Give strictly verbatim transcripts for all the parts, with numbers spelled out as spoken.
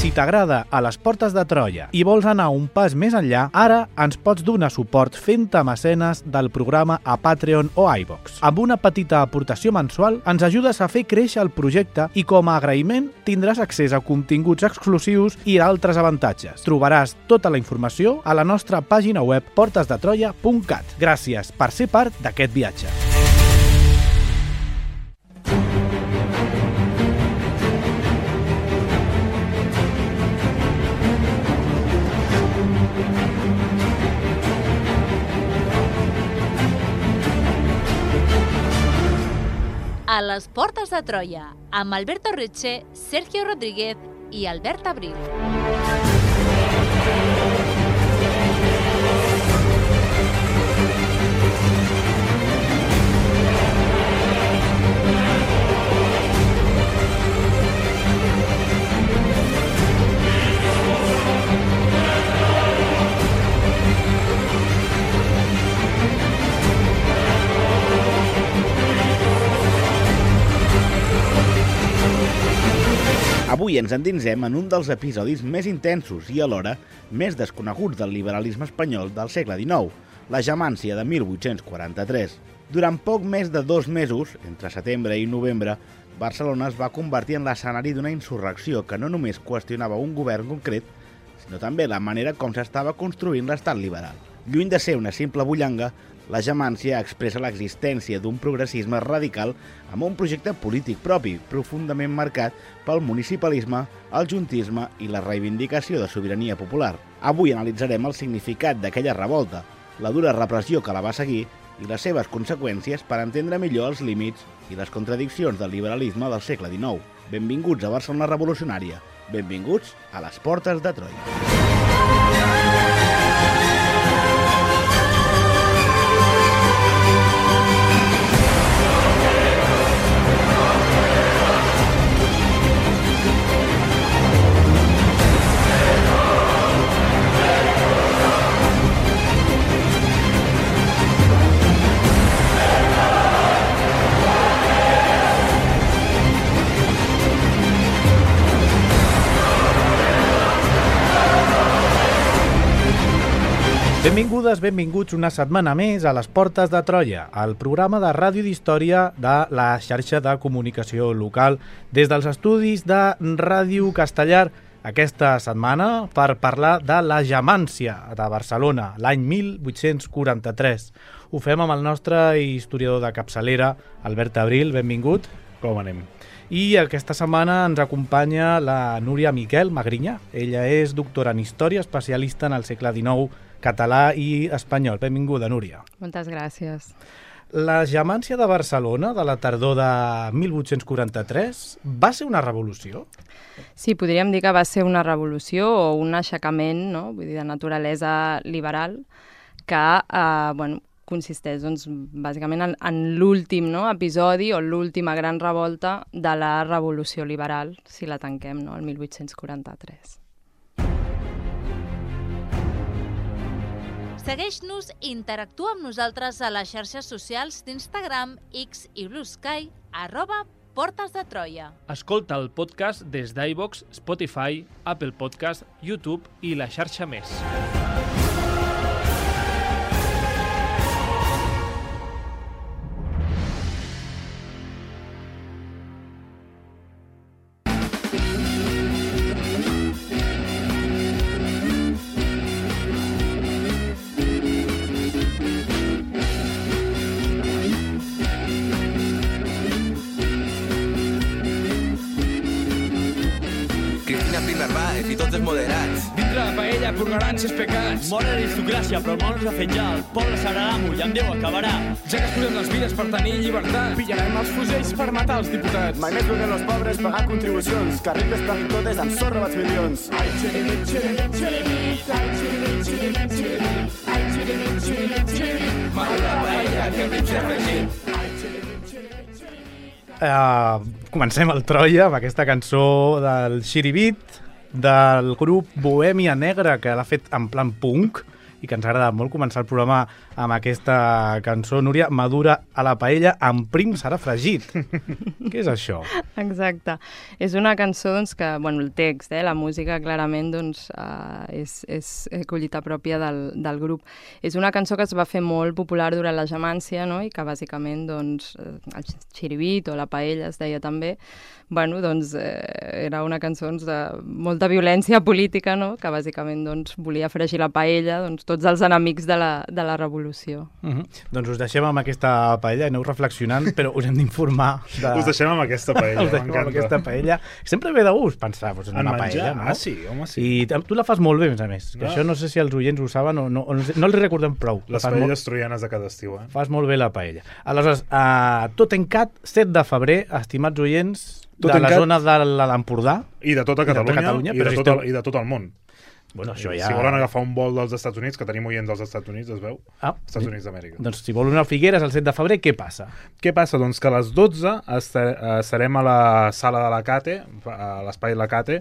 Si t'agrada A les portes de Troia i vols anar un pas més enllà, ara ens pots donar suport fent-te mecenes del programa a Patreon o iVoox. Amb una petita aportació mensual ens ajudes a fer créixer el projecte i com a agraïment tindràs accés a continguts exclusius i altres avantatges. Trobaràs tota la informació a la nostra pàgina web portes de troia punt cat. Gràcies per ser part d'aquest viatge. A les portes de Troia, amb Alberto Reche, Sergio Rodríguez i Albert Abril. Avui ens endinsem en un dels episodis més intensos i alhora més desconeguts del liberalisme espanyol del segle dinou, la Gemància de mil vuit-cents quaranta-tres. Durant poc més de dos mesos, entre setembre i novembre, Barcelona es va convertir en l'escenari d'una insurrecció que no només qüestionava un govern concret, sinó també la manera com s'estava construint l'estat liberal. Lluny de ser una simple bullanga, la Gemància expressa l'existència d'un progressisme radical amb un projecte polític propi, profundament marcat pel municipalisme, el juntisme i la reivindicació de sobirania popular. Avui analitzarem el significat d'aquella revolta, la dura repressió que la va seguir i les seves conseqüències per entendre millor els límits i les contradiccions del liberalisme del segle dinou. Benvinguts a Barcelona Revolucionària. Benvinguts a les portes de Troia. Benvingudes, benvinguts una setmana més a les Portes de Troia, el programa de ràdio d'història de la xarxa de comunicació local des dels estudis de Ràdio Castellar aquesta setmana per parlar de la Gemància de Barcelona, l'any mil vuit-cents quaranta-tres. Ho fem amb el nostre historiador de capçalera, Albert Abril, benvingut. Com anem? I aquesta setmana ens acompanya la Núria Miquel Magrinya. Ella és doctora en història, especialista en el segle dinou, català i espanyol. Benvinguda, Núria. Moltes gràcies. La Gemància de Barcelona de la tardor de mil vuit-cents quaranta-tres va ser una revolució? Sí, podríem dir que va ser una revolució o un aixecament, no? Vull dir, de naturalesa liberal que eh, bueno, consisteix doncs, bàsicament en, en l'últim, no? episodi o l'última gran revolta de la revolució liberal, si la tanquem, no? el mil vuit-cents quaranta-tres. Segueix-nos i interactua amb nosaltres a les xarxes socials d'Instagram, X i Blue Sky, arroba Portes de Troia. Escolta el podcast des d'iVoox, Spotify, Apple Podcast, YouTube i la xarxa més. I tots els moderats. Dintre la paella purgaran ses pecats. Mor l'aristocràcia, però el món ens ha fet ja. El poble serà l'amo i amb Déu acabarà. Ja que es posem les vides per tenir llibertat. Pillarem els fusells per matar els diputats. Mai més vulguem els pobres pagar contribucions. Que rics paguin totes amb sorra bats milions. Ai, xiribit, xiribit, xiribit. Ai, xiribit, xiribit, xiribit. Ai, xiribit, xiribit, xiribit. Mor la paella, que el mig ha fregit. Uh, comencem el Troia amb aquesta cançó del Xiribit del grup Bohèmia Negra, que l'ha fet en plan punk i que ens ha agradat molt començar el programa amb aquesta cançó. Núria, madura a la paella amb prim serà fregit. Què és això? Exacte. És una cançó doncs, que, bueno, el text, eh, la música, clarament, doncs, uh, és, és collita pròpia del, del grup. És una cançó que es va fer molt popular durant la Jamància, no? I que, bàsicament, doncs, el xiribit o la paella, es deia també, bueno, doncs, eh, era una cançó doncs, de molta violència política, no? Que, bàsicament, doncs, volia fregir la paella, doncs, tots els enemics de la, de la revolució. Uh-huh. Doncs us deixem amb aquesta paella, aneu reflexionant, però us hem d'informar. De... Us deixem amb aquesta paella, m'encanta. Amb aquesta paella. Sempre ve de gust pensar doncs, en, en una menjar? Paella, no? Ah, sí, home, sí. I tu la fas molt bé, a més. Que no. Això no sé si els oients ho saben o no, o no, no els recordem prou. Les paelles molt... troianes de cada estiu, eh? Fas molt bé la paella. Aleshores, uh, tot en cat, set de febrer, estimats oients, tot de la cat... zona de l'Empordà. I de tota Catalunya, i de, tota Catalunya, i de, tot, el, i de tot el món. Bueno, això ja... Si volen agafar un vol dels Estats Units, que tenim oients dels Estats Units, es veu? Ah, Estats Units d'Amèrica. Doncs si volen anar a Figueres el set de febrer, què passa? Què passa? Doncs que a les dotze estarem a la sala de la Cate, a l'espai de la Cate,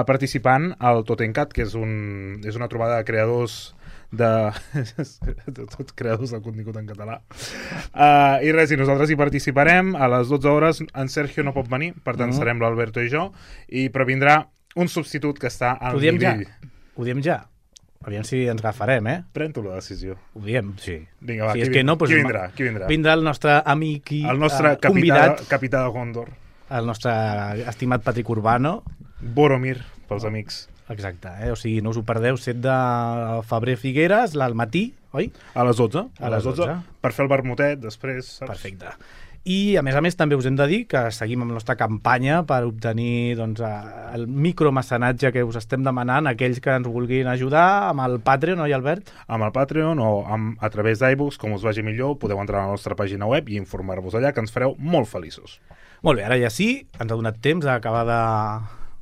participant al Totencat, que és, un, és una trobada de creadors de... de tots creadors del contingut en català. Uh, I res, i nosaltres hi participarem. A les dotze hores en Sergio no pot venir, per tant, mm. serem l'Alberto i jo, i previndrà un substitut que està al Ho diem nivell. Ja. Ho diem ja. Aviam si ens agafarem, eh? Pren tu la decisió. Ho diem, sí. Vinga, va, si qui, és que no, doncs, qui vindrà? Qui vindrà? Vindrà el nostre amic i el nostre uh, capità, convidat. Capità de Gondor. El nostre estimat Patrick Urbano. Boromir, pels amics. Exacte, eh? O sigui, no us ho perdeu, set de febrer Figueres, al matí, oi? A les dotze. A, a les dotze. dotze. Per fer el vermutet, després, saps? Perfecte. I, a més a més, també us hem de dir que seguim amb la nostra campanya per obtenir doncs, el micromecenatge que us estem demanant a aquells que ens vulguin ajudar amb el Patreon, oi, Albert? Amb el Patreon o amb, a través d'iBooks, com us vagi millor, podeu entrar a la nostra pàgina web i informar-vos allà, que ens fareu molt feliços. Molt bé, ara ja sí, ens ha donat temps d'acabar de...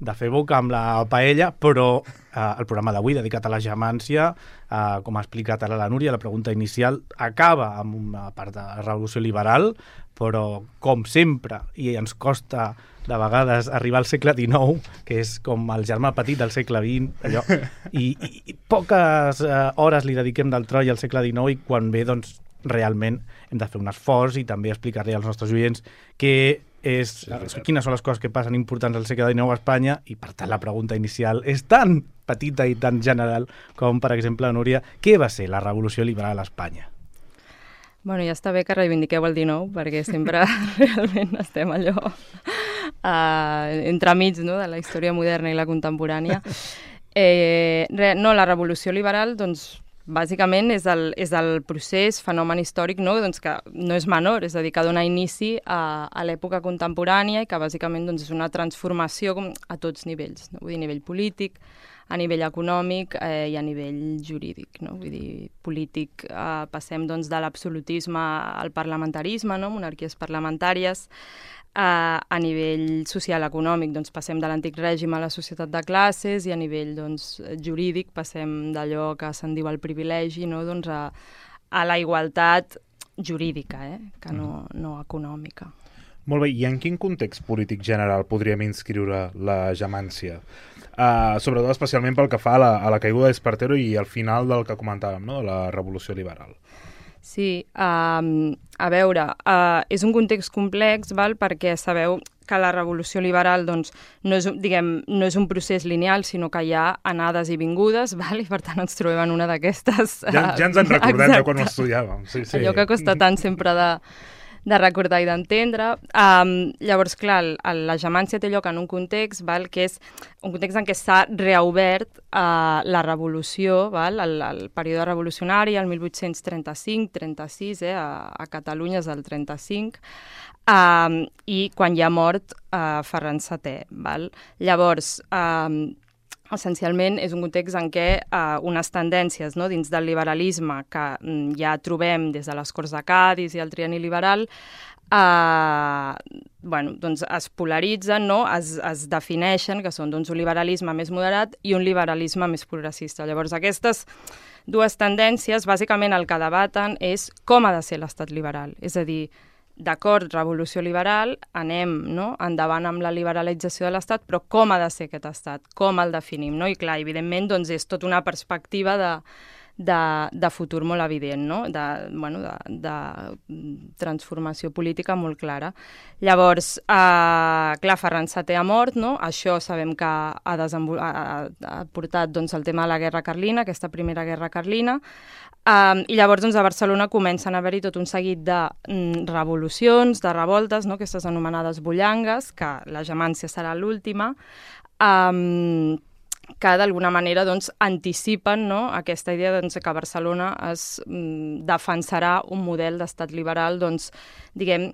de fer boca amb la paella, però eh, el programa d'avui, dedicat a la Jamància, eh, com ha explicat ara la Núria, la pregunta inicial acaba amb una part de la revolució liberal, però, com sempre, i ens costa de vegades arribar al segle dinou, que és com el germà petit del segle vint, allò, i, i, i poques eh, hores li dediquem del Troi al segle dinou, i quan ve, doncs, realment hem de fer un esforç i també explicar-li als nostres oients que és, sí, quines són les coses que passen importants al segle dinou a Espanya, i per tant la pregunta inicial és tan petita i tan general com, per exemple, Núria, què va ser la revolució liberal a Espanya? Bueno, ja està bé que reivindiqueu el dinou, perquè sempre realment estem allò uh, entremig, no?, de la història moderna i la contemporània. Eh, re, no, la revolució liberal, doncs, bàsicament és el, és el procés, fenomen històric, no? Doncs que no és menor, és a dir, que dona inici a, a l'època contemporània i que bàsicament doncs, és una transformació com a tots nivells, no? Vull dir, a nivell polític, a nivell econòmic eh, i a nivell jurídic, no? Vull dir, polític, eh, passem doncs, de l'absolutisme al parlamentarisme, no? Monarquies parlamentàries. Uh, a nivell social econòmic doncs, passem de l'antic règim a la societat de classes, i a nivell doncs, jurídic passem d'allò que se'n diu el privilegi, no? Doncs a, a la igualtat jurídica, eh? Que no, no econòmica. Molt bé, i en quin context polític general podríem inscriure la Jamància? Uh, sobretot especialment pel que fa a la, a la caiguda d'Espartero i al final del que comentàvem, no? De la revolució liberal. Sí, um, a veure, uh, és un context complex, val? Perquè sabeu que la revolució liberal doncs, no, és, diguem, no és un procés lineal, sinó que hi ha anades i vingudes, val? I per tant ens trobem en una d'aquestes... Uh, ja, ja ens en recordem de quan ho estudiàvem. Sí, sí. Allò que costa tant sempre de, de recordar i d'entendre. Um, llavors, clar, la Jamància té lloc en un context, val? Que és un context en què s'ha reobert uh, la revolució, val? El, el període revolucionari, el mil vuit-cents trenta-cinc trenta-sis, eh? a, a Catalunya és el trenta-cinc, um, i quan hi ha mort uh, Ferran setè. Val? Llavors, um, essencialment és un context en què uh, unes tendències, no? Dins del liberalisme que um, ja trobem des de les Corts de Cadis i el trienni liberal, Uh, bueno, doncs es polaritzen, no? es, es defineixen, que són doncs, un liberalisme més moderat i un liberalisme més progressista. Llavors, aquestes dues tendències, bàsicament el que debaten és com ha de ser l'estat liberal. És a dir, d'acord, revolució liberal, anem no? endavant amb la liberalització de l'estat, però com ha de ser aquest estat? Com el definim? No? I clar, evidentment, doncs, és tota una perspectiva de de, de futur molt evident, no? de, bueno, de, de transformació política molt clara. Llavors, eh, clar, Ferran setè ha mort, no? Això sabem que ha, desenvol... ha, ha portat doncs, el tema de la guerra carlina, aquesta primera guerra carlina, eh, i llavors doncs, a Barcelona comencen a haver-hi tot un seguit de mm, revolucions, de revoltes, no? Aquestes anomenades bullangues, que la Gemància serà l'última, eh, que d'alguna manera doncs, anticipen, no?, aquesta idea doncs, que Barcelona es mm, defensarà un model d'estat liberal, doncs, diguem,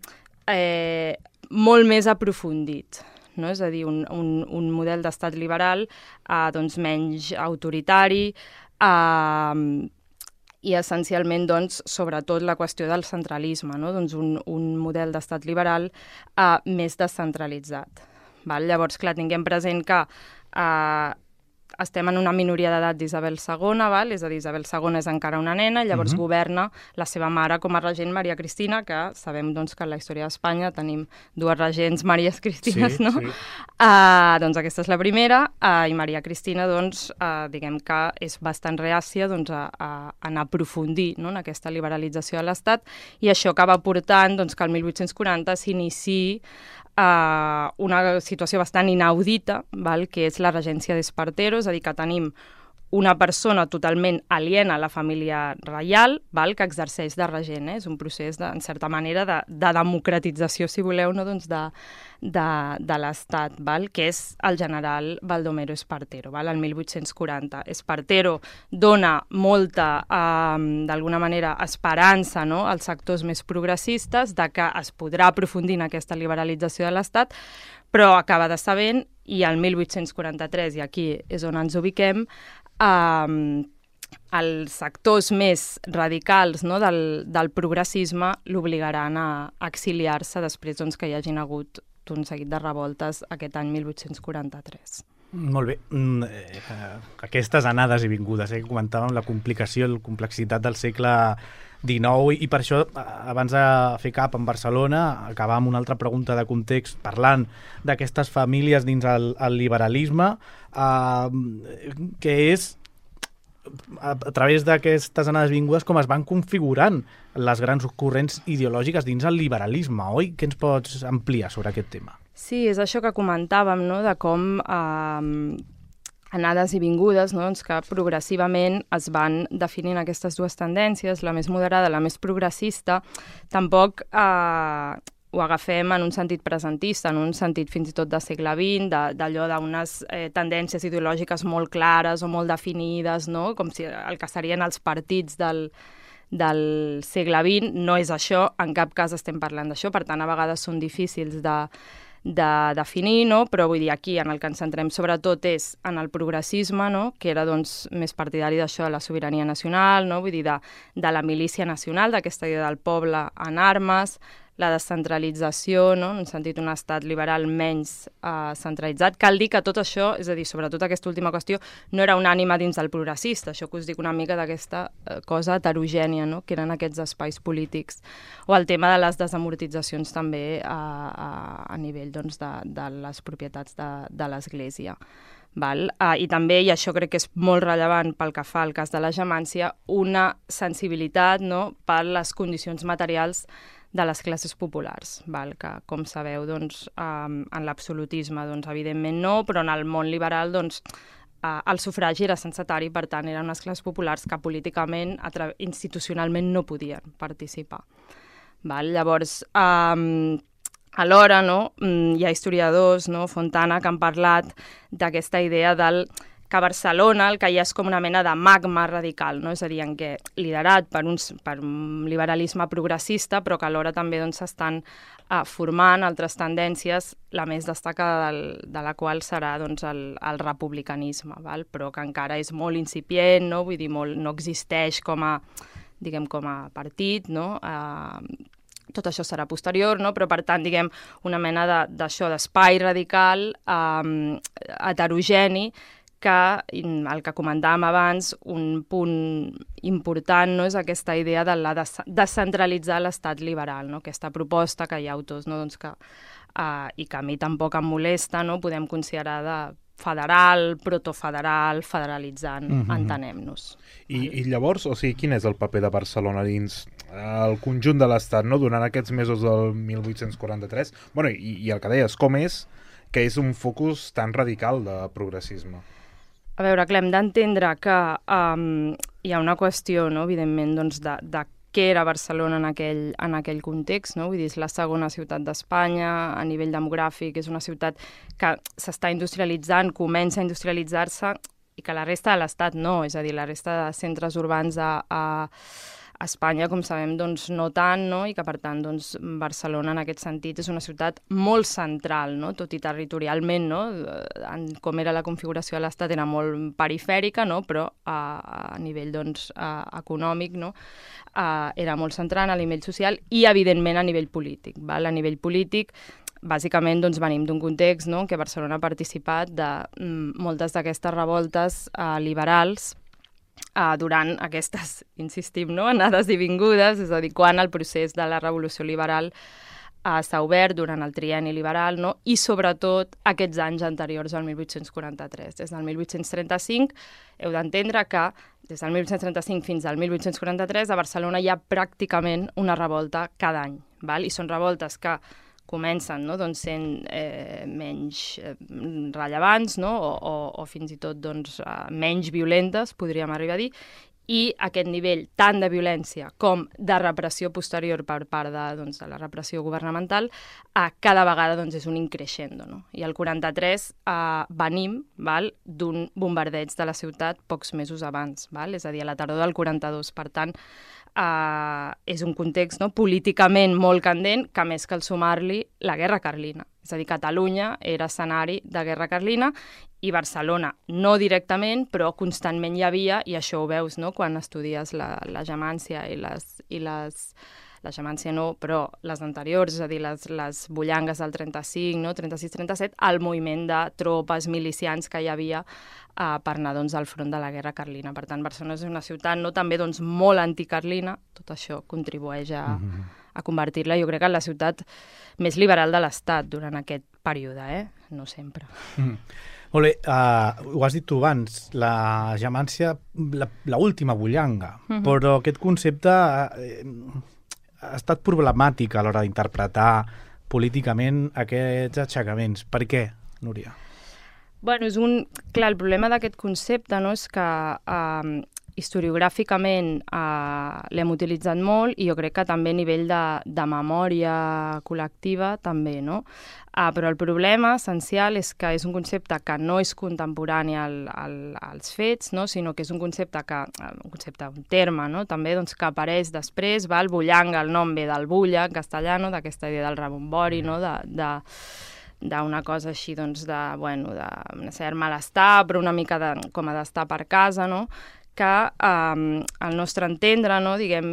eh, molt més aprofundit. No? És a dir, un, un, un model d'estat liberal eh, doncs, menys autoritari, eh, i essencialment, doncs, sobretot la qüestió del centralisme, no? Doncs un, un model d'estat liberal eh, més descentralitzat. Val? Llavors, clar, tinguem present que eh, estem en una minoria d'edat d'Isabel segona, val? És a dir, Isabel segona és encara una nena, llavors uh-huh. governa la seva mare com a regent Maria Cristina, que sabem doncs, que en la història d'Espanya tenim dues regents Maries Cristines, sí, no? Sí. Uh, doncs aquesta és la primera, uh, i Maria Cristina, doncs, uh, diguem que és bastant reàcia doncs, a, a, a anar a aprofundir, no?, en aquesta liberalització de l'Estat, i això acaba portant doncs, que el mil vuit-cents quaranta s'iniciï Uh, una situació bastant inaudita, val? Que és la regència d'Espartero, és a dir, que tenim una persona totalment aliena a la família reial, val? Que exerceix de regent. Eh? És un procés, de, en certa manera, de, de democratització, si voleu, no? doncs de, de, de l'Estat, val? Que és el general Baldomero Espartero, val? El mil vuit-cents quaranta. Espartero dona molta, eh, d'alguna manera, esperança, no? als sectors més progressistes de que es podrà aprofundir en aquesta liberalització de l'Estat, però acaba de sabent, i el mil vuit-cents quaranta-tres, i aquí és on ens ubiquem, eh, els sectors més radicals, no, del, del progressisme l'obligaran a exiliar-se després doncs, que hi hagin hagut un seguit de revoltes aquest any mil vuit-cents quaranta-tres. Molt bé. Mm, eh, aquestes anades i vingudes, eh, que comentàvem, la complicació, la complexitat del segle dinou, i per això, abans de fer cap en Barcelona, acabar amb una altra pregunta de context, parlant d'aquestes famílies dins el, el liberalisme, eh, que és a, a través d'aquestes anades vingudes com es van configurant les grans corrents ideològiques dins el liberalisme, oi? Què ens pots ampliar sobre aquest tema? Sí, és això que comentàvem, no?, de com eh, anades i vingudes, no?, doncs que progressivament es van definint aquestes dues tendències, la més moderada, la més progressista. Tampoc eh, ho agafem en un sentit presentista, en un sentit fins i tot de segle vint, d'allò d'unes eh, tendències ideològiques molt clares o molt definides, no?, com si el que serien els partits del, del segle vint. No és això, en cap cas estem parlant d'això, per tant, a vegades són difícils de de definir, no? Però vull dir, aquí en el que ens centrem sobretot és en el progressisme, no? Que era doncs, més partidari d'això de la sobirania nacional, no? Vull dir, de, de la milícia nacional, d'aquesta idea del poble en armes, la descentralització, no? En un sentit, un estat liberal menys eh, centralitzat. Cal dir que tot això, és a dir, sobretot aquesta última qüestió, no era una ànima dins del progressista, això que us dic una mica d'aquesta eh, cosa heterogènia, no? Que eren aquests espais polítics. O el tema de les desamortitzacions també a, a, a nivell doncs, de, de les propietats de, de l'Església. Val? Uh, I també, i això crec que és molt rellevant pel que fa al cas de la Gemància, una sensibilitat, no?, per les condicions materials de les classes populars, val? Que, com sabeu, doncs, um, en l'absolutisme, doncs, evidentment no, però en el món liberal, doncs, uh, el sufragi era censatari, per tant, eren unes classes populars que políticament, institucionalment, no podien participar. Val? Llavors, um, alhora, no, hi ha historiadors, no, Fontana, que han parlat d'aquesta idea del que Barcelona el que hi ha és com una mena de magma radical, no? És a dir, en què liderat per, uns, per un liberalisme progressista, però que alhora també doncs, s'estan eh, formant altres tendències, la més destacada del, de la qual serà doncs, el, el republicanisme, val? Però que encara és molt incipient, no? Vull dir, molt, no existeix com a, diguem, com a partit, no? Eh, tot això serà posterior, no? Però per tant, diguem, una mena d'això, de, d'espai radical, eh, heterogeni, que el que comentàvem abans, un punt important, no, és aquesta idea de la descentralitzar l'estat liberal, no? Aquesta proposta que hi ha autors, no, doncs que, uh, i que a mi tampoc em molesta, no? Podem considerar de federal, protofederal, federalitzant, Mhm. entenem-nos. I, I llavors, o sigui, quin és el paper de Barcelona dins el conjunt de l'Estat, no? Durant aquests mesos del mil vuit-cents quaranta-tres? Bueno, i, i el que deies, com és que és un focus tan radical de progressisme? A veure, clar, hem d'entendre que um, hi ha una qüestió, no?, evidentment, doncs, de, de què era Barcelona en aquell, en aquell context, no? Vull dir, és la segona ciutat d'Espanya, a nivell demogràfic, és una ciutat que s'està industrialitzant, comença a industrialitzar-se, i que la resta de l'Estat no, és a dir, la resta de centres urbans a, a Espanya, com sabem, doncs no tant, no? I que per tant doncs, Barcelona en aquest sentit és una ciutat molt central, no? Tot i territorialment, no? En, com era la configuració de l'Estat era molt perifèrica, no? Però a, a nivell doncs, a, econòmic, no? A, era molt central a nivell social i evidentment a nivell polític. Val? A nivell polític bàsicament doncs, venim d'un context, no?, en què Barcelona ha participat de mm, moltes d'aquestes revoltes eh, liberals Uh, durant aquestes, insistim, no? Anades i vingudes, és a dir, quan el procés de la revolució liberal uh, s'ha obert durant el trienni liberal, no? I sobretot aquests anys anteriors al mil vuit-cents quaranta-tres. Des del mil vuit-cents trenta-cinc heu d'entendre que des del mil vuit-cents trenta-cinc fins al mil vuit-cents quaranta-tres a Barcelona hi ha pràcticament una revolta cada any, val? I són revoltes que comencen, no?, doncs, sent eh, menys eh, rellevants, no?, o, o, o fins i tot doncs, eh, menys violentes, podríem arribar a dir, i aquest nivell tant de violència com de repressió posterior per part de, doncs, de la repressió governamental, eh, cada vegada doncs, és un increixendo. No? I el quaranta-tres eh, venim val, d'un bombardeig de la ciutat pocs mesos abans, val? És a dir, a la tardor del quaranta-dos. Per tant, Uh, és un context no, políticament molt candent, que més cal sumar-li la guerra carlina. És a dir, Catalunya era escenari de guerra carlina i Barcelona no directament, però constantment hi havia, i això ho veus no, quan estudies la, la Gemància i les... I les la Gemància no, però les anteriors, és a dir, les, les bullangues del trenta-cinc, no, trenta-sis trenta-set, el moviment de tropes milicians que hi havia uh, per anar doncs, al front de la guerra carlina. Per tant, Barcelona és una ciutat no, també doncs, molt anticarlina, tot això contribueix a, mm-hmm. a convertir-la, jo crec, en la ciutat més liberal de l'Estat durant aquest període, eh? No sempre. Mm. Molt bé, uh, ho has dit tu abans, la Gemància, l'última bullanga, mm-hmm. però aquest concepte... Uh, ha estat problemàtic a l'hora d'interpretar políticament aquests aixecaments. Per què, Núria? Bueno, és un... Clar, el problema d'aquest concepte no, és que eh, historiogràficament eh, l'hem utilitzat molt i jo crec que també a nivell de, de memòria col·lectiva també, no? Uh, però el problema essencial és que és un concepte que no és contemporani al, al, als fets, no? Sinó que és un concepte, que, un concepte, un terme, no? També doncs, que apareix després, va, el bullanga, el nom ve del bulla, en castellano, d'aquesta idea del rebombori, no? de, de, d'una cosa així, doncs, de, bueno, de un cert malestar, però una mica de, com a d'estar per casa, no? Que eh, al nostre entendre, no, diguem,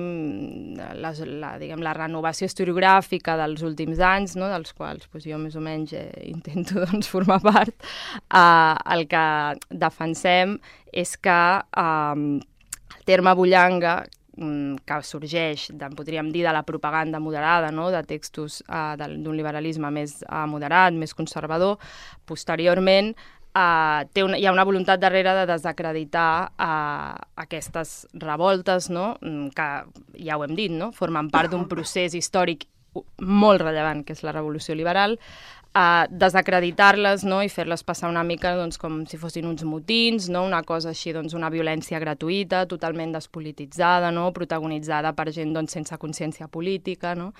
la, la, diguem, la renovació historiogràfica dels últims anys, no, dels quals pues, jo més o menys eh, intento doncs, formar part, eh, el que defensem és que eh, el terme bullanga, que sorgeix, podríem dir, de la propaganda moderada, no? De textos eh, d'un liberalisme més eh, moderat, més conservador, posteriorment Uh, té una, hi ha una voluntat darrere de desacreditar uh, aquestes revoltes, no? Que ja ho hem dit, no? Formen part d'un procés històric molt rellevant, que és la Revolució Liberal, uh, desacreditar-les, no? I fer-les passar una mica doncs, com si fossin uns motins, no? Una cosa així, doncs, una violència gratuïta, totalment despolititzada, no? Protagonitzada per gent doncs, sense consciència política, no?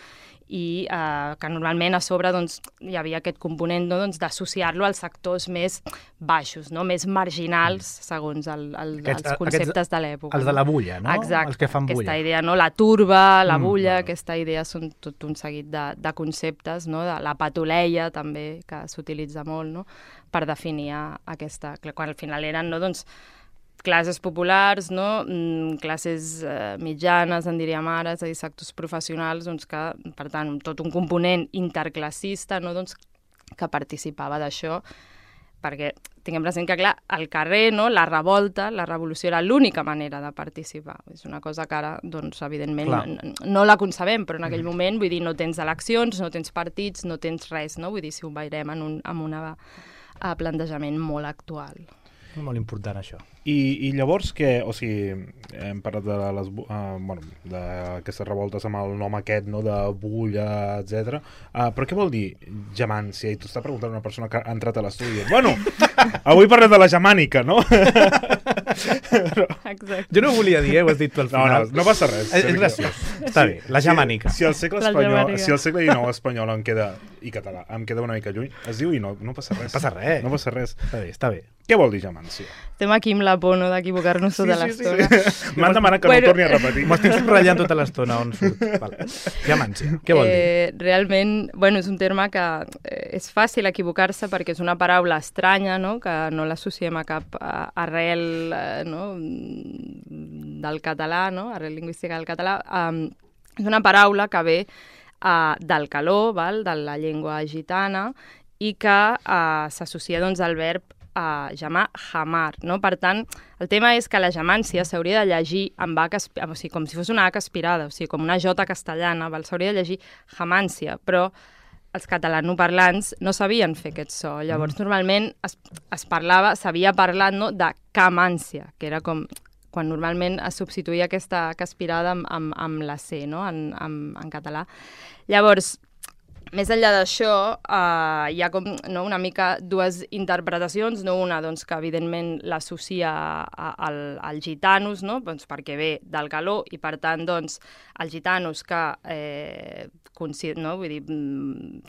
I eh, que normalment a sobre doncs, hi havia aquest component no, doncs, d'associar-lo als sectors més baixos, no? Més marginals, segons el, el, aquests, els conceptes aquests, de l'època. Els de la bulla, no? Exacte, els que fan bulla. Aquesta idea, no? La turba, la bulla, mm, aquesta idea són tot un seguit de, de conceptes, no? De la patuleia també, que s'utilitza molt, no? Per definir aquesta... Quan al final eren, no? Doncs, classes populars, no? mm, classes eh, mitjanes, en diríem ara, és a dir, sectors professionals, doncs que, per tant, tot un component interclassista, no? Doncs, que participava d'això, perquè tinguem present que, clar, al carrer, no? La revolta, la revolució era l'única manera de participar. És una cosa que ara, doncs, evidentment, no, no la concebem, però en aquell moment, vull dir, no tens eleccions, no tens partits, no tens res, no? Vull dir, si ho veurem en, un, en una... uh, plantejament molt actual. Molt important, això. I, i llavors que, o sigui, hem parlat de les, uh, bueno, d'aquestes revoltes amb el nom aquest, no?, de Bulla, etcètera. Uh, però què vol dir Jamància? I t'ho està preguntant una persona que ha entrat a l'estudi. Bueno, avui parlem de la germànica, no? Exacte. Jo no ho volia dir, eh? Ho has dit tu al final. No, no, no passa res. És, és graciós. Està bé, la germànica. Si, si el segle espanyol, si el segle dinou espanyol em queda, i català, em queda una mica lluny, es diu i no, no passa res. Passa res. No passa res. Està bé, està bé. Què vol dir Jamància? Estem aquí amb la por, no?, d'equivocar-nos tota sí, sí, l'estona. Sí, sí. M'han demanat que bueno, no torni a repetir. M'ho estic subratllant tota l'estona on surt. Vale. Jamància, què vol dir? Eh, realment, bueno, és un terme que eh, és fàcil equivocar-se perquè és una paraula estranya, no?, que no l'associem a cap uh, arrel uh, no?, del català, no?, arrel lingüística del català. Um, és una paraula que ve uh, del caló, val?, de la llengua gitana, i que uh, s'associa, doncs, al verb a jamar, jamar, no? Per tant, el tema és que la jamància s'hauria de llegir amb H, o sigui, com si fos una H aspirada, o sigui, com una J castellana, s'hauria de llegir jamància, però els catalanoparlants no sabien fer aquest so. Llavors, normalment es, es parlava, s'havia parlat, no?, de camància, que era com quan normalment es substituïa aquesta H aspirada amb, amb, amb la C, no?, en, en, en català. Llavors, més enllà d'això, uh, hi ha com, no, una mica dues interpretacions, no? Una, doncs, que evidentment l'associa al, al gitanos, no?, doncs, perquè ve del caló, i per tant, doncs, els gitanos que, eh, no? Vull dir,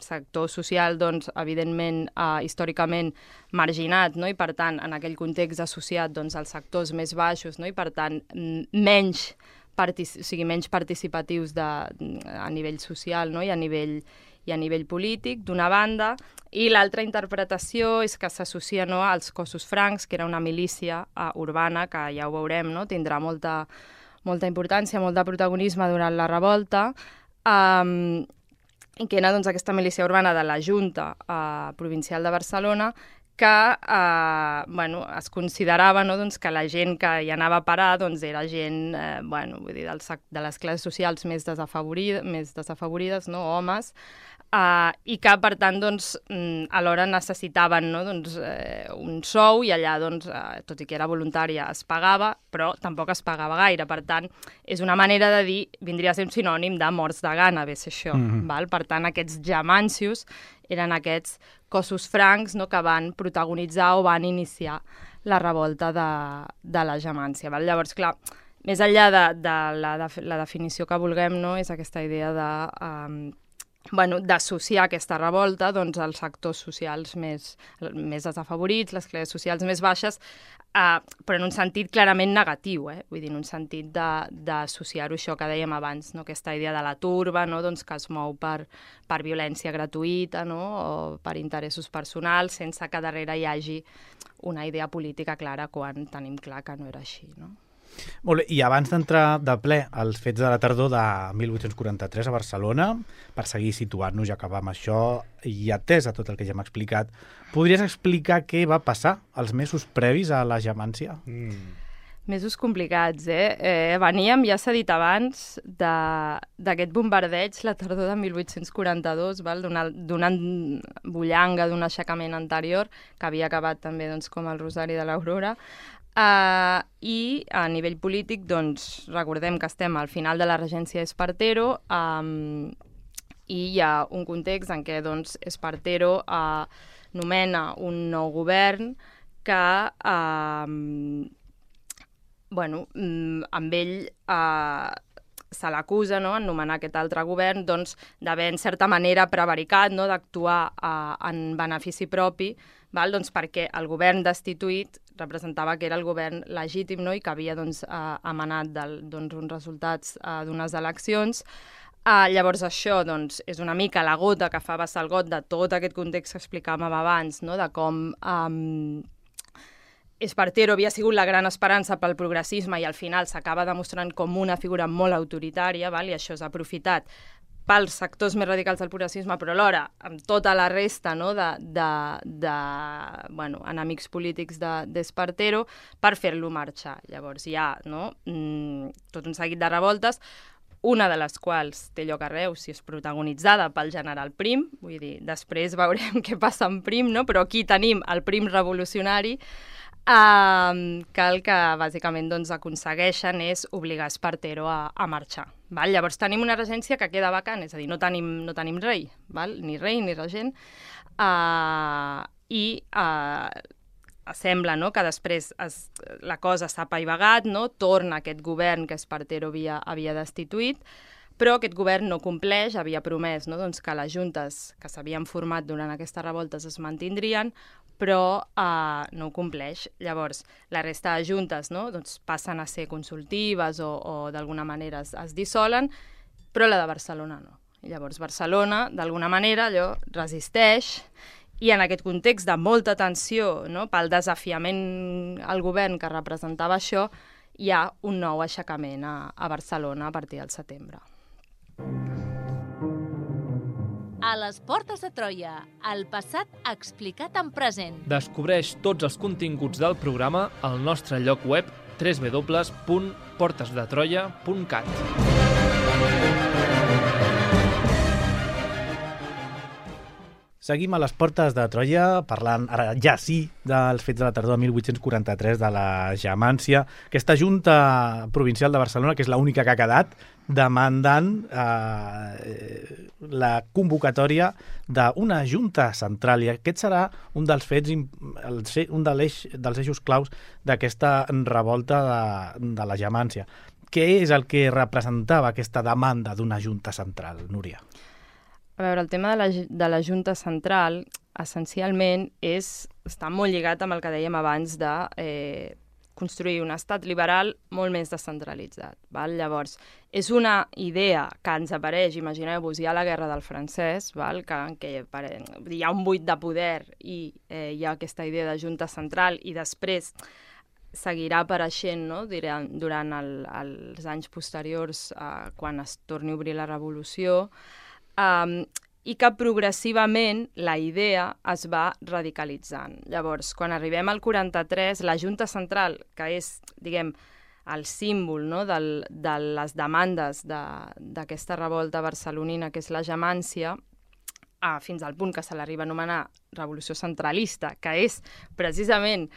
sector social, doncs, evidentment, uh, històricament marginat, no?, i per tant, en aquell context associat, doncs, als sectors més baixos, no?, i per tant, menys, partic o sigui, menys participatius de, a nivell social, no?, i a nivell i a nivell polític, d'una banda, i l'altra interpretació és que s'associa, no?, als cossos francs, que era una milícia uh, urbana, que ja ho veurem, no?, tindrà molta, molta importància, molt de protagonisme durant la revolta, um, i que era, doncs, aquesta milícia urbana de la Junta uh, Provincial de Barcelona, que eh, bueno, es considerava, no?, doncs, que la gent que hi anava a parar, doncs, era gent eh, bueno, vull dir, del, de les classes socials més, desafavorida, més desafavorides, no?, homes, eh, i que, per tant, doncs, alhora necessitaven, no?, doncs, eh, un sou, i allà, doncs, eh, tot i que era voluntària, es pagava, però tampoc es pagava gaire. Per tant, és una manera de dir, vindria a ser un sinònim de morts de gana, ve ser això. Mm-hmm. Val? Per tant, aquests jamancios eren aquests cossos francs, no?, que van protagonitzar o van iniciar la revolta de, de la Jamància. Val? Llavors, clar, més enllà de, de, la, de la definició que vulguem, no?, és aquesta idea de, um, bueno, d'associar aquesta revolta, doncs, als sectors socials més, més desafavorits, les classes socials més baixes, uh, però en un sentit clarament negatiu, eh? Vull dir, en un sentit d'associar-ho a això que dèiem abans, no?, aquesta idea de la turba, no?, doncs, que es mou per, per violència gratuïta, no?, o per interessos personals, sense que darrere hi hagi una idea política clara, quan tenim clar que no era així, no? Molt bé, i abans d'entrar de ple als fets de la tardor de mil vuit-cents quaranta-tres a Barcelona, per seguir situant-nos i acabar amb això, i atès a tot el que ja hem explicat, podries explicar què va passar els mesos previs a la Jamància? Mm. Mesos complicats, eh? eh veníem, ja s'ha dit abans, d'aquest bombardeig la tardor de mil vuit-cents quaranta-dos, d'una bullanga, d'un aixecament anterior, que havia acabat també, doncs, com el Rosari de l'Aurora. Uh, I a nivell polític, doncs, recordem que estem al final de la regència d'Espartero, um, i hi ha un context en què, doncs, Espartero uh, nomena un nou govern que, uh, bueno, amb ell uh, se l'acusa, no?, en nomenar aquest altre govern, doncs, d'haver, en certa manera, prevaricat, no?, d'actuar uh, en benefici propi, val? Doncs, perquè el govern destituït representava que era el govern legítim, no?, i que havia, doncs, eh, emanat del, doncs, uns resultats eh, d'unes eleccions. Eh, llavors això, doncs, és una mica la gota que fa vessar el got de tot aquest context que explicàvem abans, no?, de com eh, Espartero havia sigut la gran esperança pel progressisme i al final s'acaba demostrant com una figura molt autoritària, val? I això és aprofitat pels sectors més radicals del progressisme, però alhora amb tota la resta, no?, de, de, de bueno, enemics polítics d'Espartero de, per fer-lo marxar. Llavors hi ha, no?, tot un seguit de revoltes. una de les quals té lloc a Reus i és protagonitzada pel general Prim, vull dir, després veurem què passa amb Prim, no? Però aquí tenim el Prim revolucionari, eh, que el que bàsicament doncs, aconsegueixen és obligar Espartero a, a marxar. Val? Llavors tenim una regència que queda vacant, és a dir, no tenim, no tenim rei, val? Ni rei ni regent, eh, i eh, sembla, no?, que després es, la cosa s'ha apaivagat, no?, torna aquest govern que Espartero havia, havia destituït, però aquest govern no compleix, havia promès, no?, doncs, que les juntes que s'havien format durant aquestes revoltes es mantindrien, però eh, no ho compleix. Llavors, la resta de juntes, no?, doncs, passen a ser consultives o, o d'alguna manera es, es dissolen, però la de Barcelona no. I llavors Barcelona, d'alguna manera, allò resisteix. I en aquest context de molta tensió, no, pel desafiament al govern que representava això, hi ha un nou aixecament a, a Barcelona a partir del setembre. A les portes de Troia, el passat explicat en present. Descobreix tots els continguts del programa al nostre lloc web w w w punt portes de troia punt cat. Seguim a les portes de Troia, parlant ara ja sí dels fets de la tardor de mil vuit-cents quaranta-tres, de la Jamància. Aquesta Junta Provincial de Barcelona, que és l'única que ha quedat, demandant eh, la convocatòria d'una Junta Central. I aquest serà un dels fets, un dels eixos claus d'aquesta revolta de, de la Jamància. Què és el que representava aquesta demanda d'una Junta Central, Núria? A veure, el tema de la, de la Junta Central, essencialment, és, està molt lligat amb el que dèiem abans de eh, construir un estat liberal molt més descentralitzat. Val? Llavors, és una idea que ens apareix, imagineu-vos, hi ha la Guerra del Francès, val? Que, que hi ha un buit de poder i eh, hi ha aquesta idea de Junta Central i després seguirà apareixent, no?, durant, durant el, els anys posteriors, eh, quan es torni a obrir la Revolució, Um, i que progressivament la idea es va radicalitzant. Llavors, quan arribem al quaranta-tres, la Junta Central, que és, diguem, el símbol, no?, del, de les demandes d'aquesta de, revolta barcelonina, que és la Jamància, uh, fins al punt que se l'arriba a anomenar Revolució Centralista, que és precisament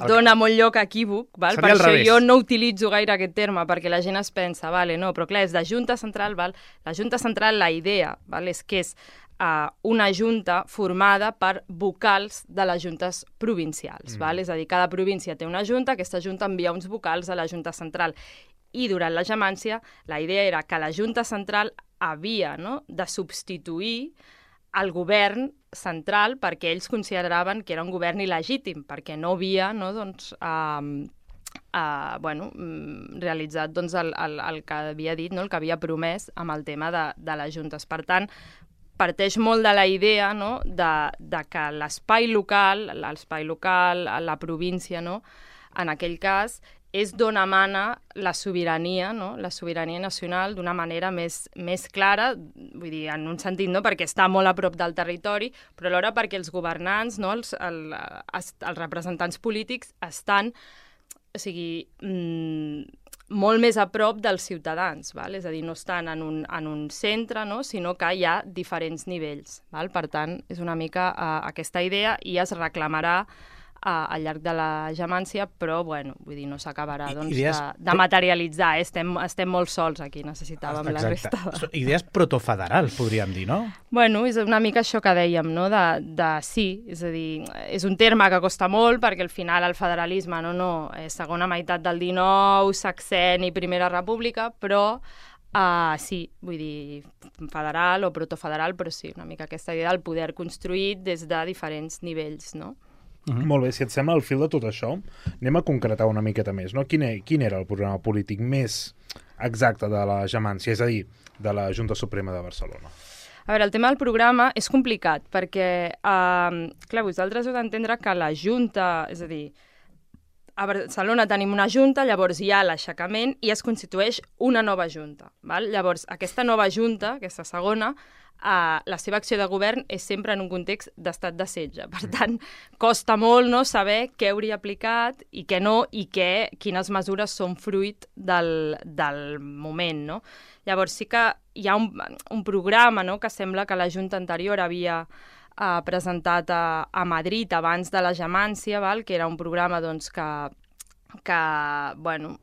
dona molt lloc a equívoc, val? Per això jo no utilitzo gaire aquest terme, perquè la gent es pensa, vale, no, però clar, és de Junta Central, val? La Junta Central, la idea, val? És que és uh, una junta formada per vocals de les juntes provincials, mm. val? És a dir, cada província té una junta, aquesta junta envia uns vocals a la Junta Central. I durant la Jamància, la idea era que la Junta Central havia, no?, de substituir el govern central perquè ells consideraven que era un govern il·legítim, perquè no havia, no, doncs, uh, uh, bueno, realitzat doncs, el, el, el que havia dit, no, el que havia promès amb el tema de, de les juntes. Per tant, parteix molt de la idea, no?, de, de que l'espai local, l'espai local, la província, no?, en aquell cas, és d'on emana la sobirania, no?, la sobirania nacional d'una manera més, més clara, vull dir, en un sentit, no?, perquè està molt a prop del territori, però alhora perquè els governants, no?, els, el, els representants polítics estan, o sigui, mmm, molt més a prop dels ciutadans, val? És a dir, no estan en un, en un centre, no?, sinó que hi ha diferents nivells. Val? Per tant, és una mica uh, aquesta idea i es reclamarà al llarg de la Jamància, però, bueno, vull dir, no s'acabarà doncs, de, de materialitzar. Eh? Estem, estem molt sols aquí, necessitàvem Exacte. La resta. De... Idees protofederals, podríem dir, no? Bueno, és una mica això que dèiem, no? De, de sí, és a dir, és un terme que costa molt, perquè al final el federalisme, no, no, és segona meitat del dinou, sexenni, primera república, però Uh, sí, vull dir, federal o protofederal, però sí, una mica aquesta idea del poder construït des de diferents nivells, no? Mm-hmm. Molt bé, si et sembla, al fil de tot això, anem a concretar una miqueta més, no? Quin, quin era el programa polític més exacte de la Jamància, és a dir, de la Junta Suprema de Barcelona? A veure, el tema del programa és complicat, perquè, uh, clar, vosaltres heu d'entendre que la Junta, és a dir, a Barcelona tenim una junta, llavors hi ha l'aixecament i es constitueix una nova junta. Val? Llavors, aquesta nova junta, aquesta segona, Uh, la seva acció de govern és sempre en un context d'estat de setge. Per tant, costa molt, no, saber què hauria aplicat i què no, i què, quines mesures són fruit del, del moment, no? Llavors sí que hi ha un, un programa, no?, que sembla que la Junta anterior havia uh, presentat a, a Madrid abans de la Gemància, val? Que era un programa doncs, que que, bueno,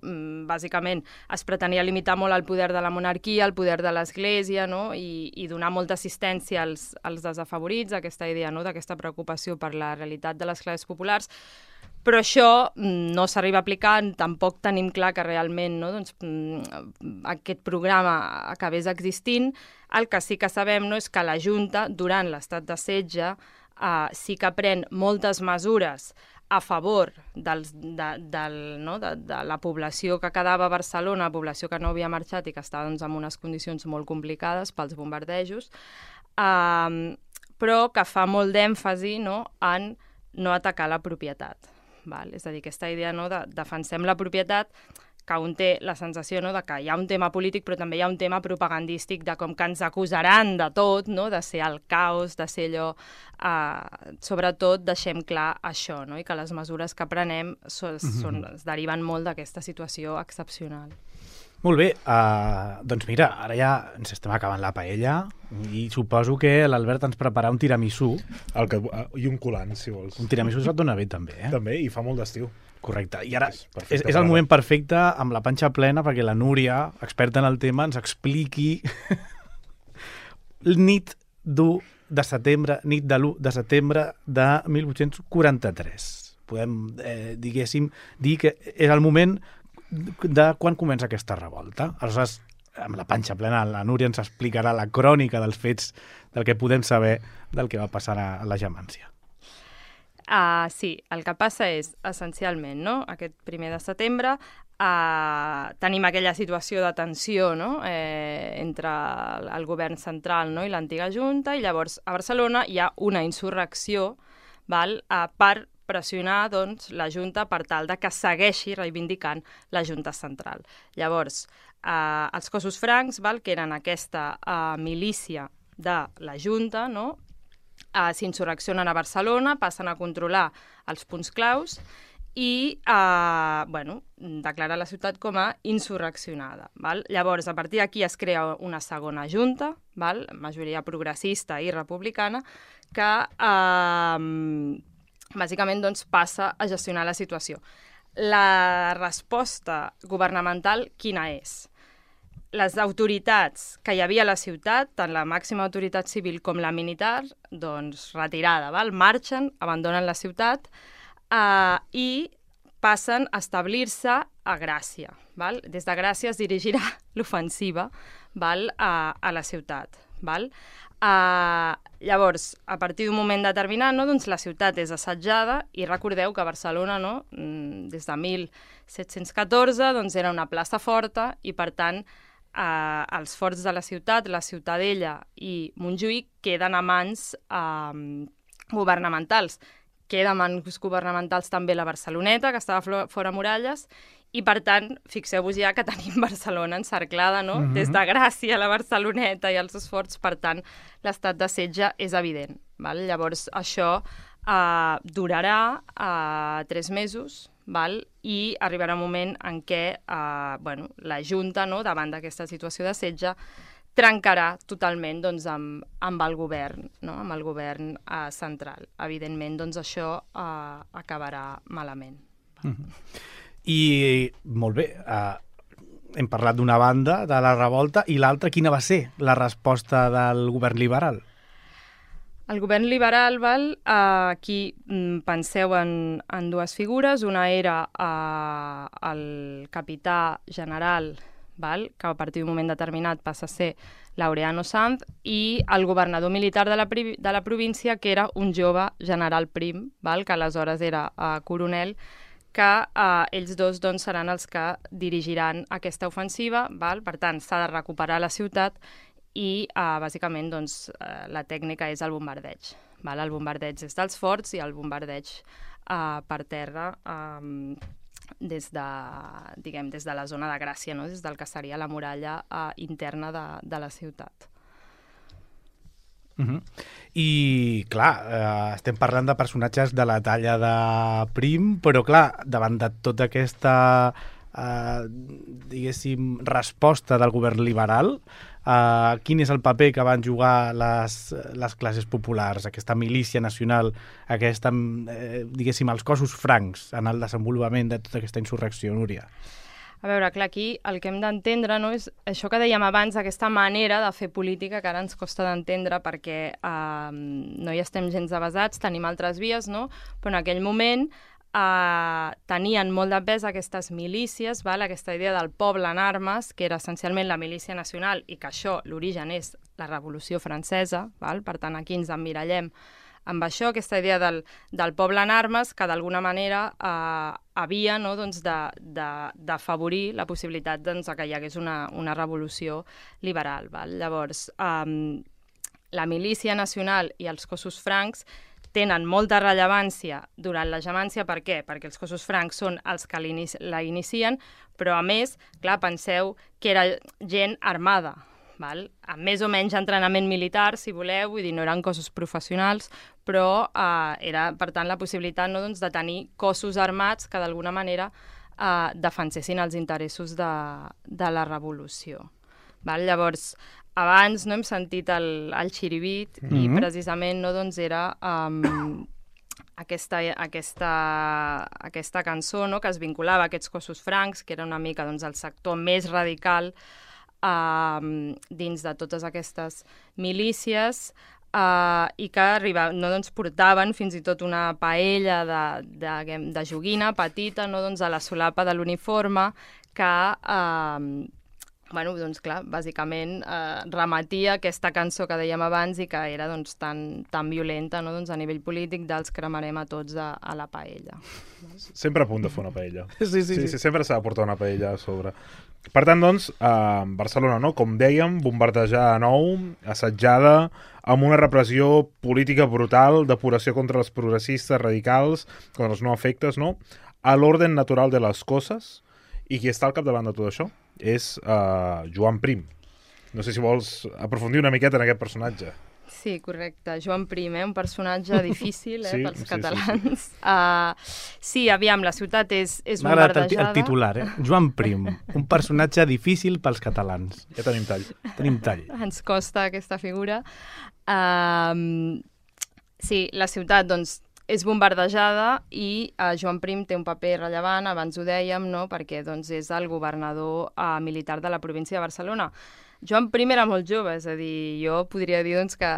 bàsicament es pretenia limitar molt el poder de la monarquia, el poder de l'Església, no? I, i donar molta assistència als, als desafavorits, aquesta idea, no?, d'aquesta preocupació per la realitat de les classes populars, però això no s'arriba a aplicar, tampoc tenim clar que realment, no?, doncs, aquest programa acabés existint. El que sí que sabem, no?, és que la Junta, durant l'estat de setge, eh, sí que pren moltes mesures a favor dels, de, del, no, de, de la població que quedava a Barcelona, la població que no havia marxat i que estava doncs, en unes condicions molt complicades pels bombardejos, eh, però que fa molt d'èmfasi, no?, en no atacar la propietat. Val? És a dir, aquesta idea, no?, de defensem la propietat, que un té la sensació, no?, de que hi ha un tema polític, però també hi ha un tema propagandístic de com que ens acusaran de tot, no?, de ser el caos, de ser allò... Eh, sobretot deixem clar això, no?, i que les mesures que prenem so, són, es deriven molt d'aquesta situació excepcional. Molt bé, uh, doncs mira, ara ja ens estem acabant la paella i suposo que l'Albert ens prepara un tiramisú. El que, uh, I un colant, si vols. Un tiramisú se't dona bé, també, eh? També, i fa molt d'estiu. Correcte. I ara és, és, és el moment perfecte, amb la panxa plena, perquè la Núria, experta en el tema, ens expliqui nit d'u de setembre, nit de l'u de setembre de mil vuit-cents quaranta-tres. Podem, eh, diguéssim, dir que és el moment de quan comença aquesta revolta. Aleshores, amb la panxa plena, la Núria ens explicarà la crònica dels fets, del que podem saber del que va passar a la Gemància. Uh, sí, el que passa és, essencialment, no?, aquest primer de setembre uh, tenim aquella situació de tensió, no?, eh, entre el, el govern central, no?, i l'antiga Junta, i llavors a Barcelona hi ha una insurrecció, val?, uh, per pressionar, doncs, la Junta per tal de que segueixi reivindicant la Junta central. Llavors, eh, els cossos francs, val?, que eren aquesta eh, milícia de la Junta, no?, Uh, s'insurreccionen a Barcelona, passen a controlar els punts claus i uh, bueno, declarar la ciutat com a insurreccionada. Val? Llavors, a partir d'aquí es crea una segona junta, val? Majoria progressista i republicana, que uh, bàsicament doncs, passa a gestionar la situació. La resposta governamental quina és? Les autoritats que hi havia a la ciutat, tant la màxima autoritat civil com la militar, doncs retirada, val? Marxen, abandonen la ciutat eh, i passen a establir-se a Gràcia. Val? Des de Gràcia es dirigirà l'ofensiva, val? A, a la ciutat. Val? Eh, llavors, a partir d'un moment determinat, no? Doncs la ciutat és assetjada i recordeu que Barcelona, no? Des de mil set-cents catorze, doncs era una plaça forta i, per tant, Uh, els forts de la ciutat, la Ciutadella i Montjuïc queden a mans uh, governamentals. Queda a mans governamentals també la Barceloneta, que estava fora muralles, i per tant, fixeu-vos ja que tenim Barcelona encerclada, no? Uh-huh. Des de Gràcia, la Barceloneta i els seus forts, per tant, l'estat de setge és evident. Val? Llavors, això uh, durarà uh, tres mesos, val? I arribarà un moment en què eh, bueno, la Junta, no, davant d'aquesta situació de setge, trencarà totalment doncs, amb, amb el govern, no? Amb el govern eh, central. Evidentment, doncs, això eh, acabarà malament. Mm-hmm. I, molt bé, eh, hem parlat d'una banda, de la revolta, i l'altra, quina va ser la resposta del govern liberal? El govern liberal, val, eh, aquí mm, penseu en, en dues figures. Una era eh, el capità general, val, que a partir d'un moment determinat passa a ser Laureano Sanz, i el governador militar de la, de la província, que era un jove general prim, val, que aleshores era eh, coronel, que eh, ells dos doncs, seran els que dirigiran aquesta ofensiva. Val? Per tant, s'ha de recuperar la ciutat i, uh, bàsicament, doncs, uh, la tècnica és el bombardeig. Val? El bombardeig és dels forts i el bombardeig uh, per terra um, des de, diguem, des de la zona de Gràcia, no? Des del que seria la muralla uh, interna de, de la ciutat. Uh-huh. I, clar, eh, estem parlant de personatges de la talla de Prim, però, clar, davant de tota aquesta, eh, diguéssim, resposta del govern liberal, eh, quin és el paper que van jugar les, les classes populars, aquesta milícia nacional, aquesta, eh, diguéssim, els cossos francs en el desenvolupament de tota aquesta insurrecció, Núria? A veure, clar, aquí el que hem d'entendre, no, és això que dèiem abans, aquesta manera de fer política que ara ens costa d'entendre perquè eh, no hi estem gens avasats, tenim altres vies, no? Però en aquell moment eh, tenien molt de pes aquestes milícies, val? Aquesta idea del poble en armes, que era essencialment la milícia nacional i que això, l'origen és la Revolució Francesa, val? Per tant, aquí ens emmirallem amb això, aquesta idea del, del poble en armes, que d'alguna manera eh, havia, no, doncs d'afavorir la possibilitat doncs, que hi hagués una, una revolució liberal. Val? Llavors, eh, la milícia nacional i els cossos francs tenen molta rellevància durant la gemància. Per què? Perquè els cossos francs són els que la inicien, però a més, clar, penseu que era gent armada, val? Amb més o menys entrenament militar, si voleu, vull dir, no eren cossos professionals, però eh, era, per tant, la possibilitat, no, doncs, de tenir cossos armats que d'alguna manera eh, defensessin els interessos de, de la revolució. Val? Llavors, abans no hem sentit el, el xiribit mm-hmm. i precisament no, doncs, era um, aquesta, aquesta, aquesta cançó, no, que es vinculava a aquests cossos francs, que era una mica, doncs, el sector més radical Uh, dins de totes aquestes milícies uh, i que arriba, no, doncs, portaven fins i tot una paella de, de, de joguina petita, no, doncs, a la solapa de l'uniforme que uh, bueno, doncs, clar, bàsicament uh, remetia aquesta cançó que dèiem abans i que era, doncs, tan, tan violenta, no, doncs, a nivell polític dels cremarem a tots a, a la paella. Sempre a punt de fer una paella. Sí, sí, sí, sí. sí sempre s'ha de portar una paella a sobre. Per tant, doncs, a Barcelona, no? Com dèiem, bombardejada de nou, assetjada, amb una repressió política brutal, depuració contra els progressistes radicals, contra els no afectes, no? A l'orden natural de les coses. I qui està al capdavant de tot això és uh, Joan Prim. No sé si vols aprofundir una miqueta en aquest personatge. Sí, correcte. Joan Prim, eh? Un personatge difícil eh? sí, pels sí, catalans. Sí, sí. Uh, sí, aviam, la ciutat és, és M'ha agradat bombardejada. el, el titular, eh? Joan Prim, un personatge difícil pels catalans. Ja tenim tall. Tenim tall. Ens costa aquesta figura. Uh, sí, la ciutat, doncs, és bombardejada i uh, Joan Prim té un paper rellevant, abans ho dèiem, no? Perquè doncs, és el governador uh, militar de la província de Barcelona. Joan Prim era molt jove, és a dir, jo podria dir doncs, que,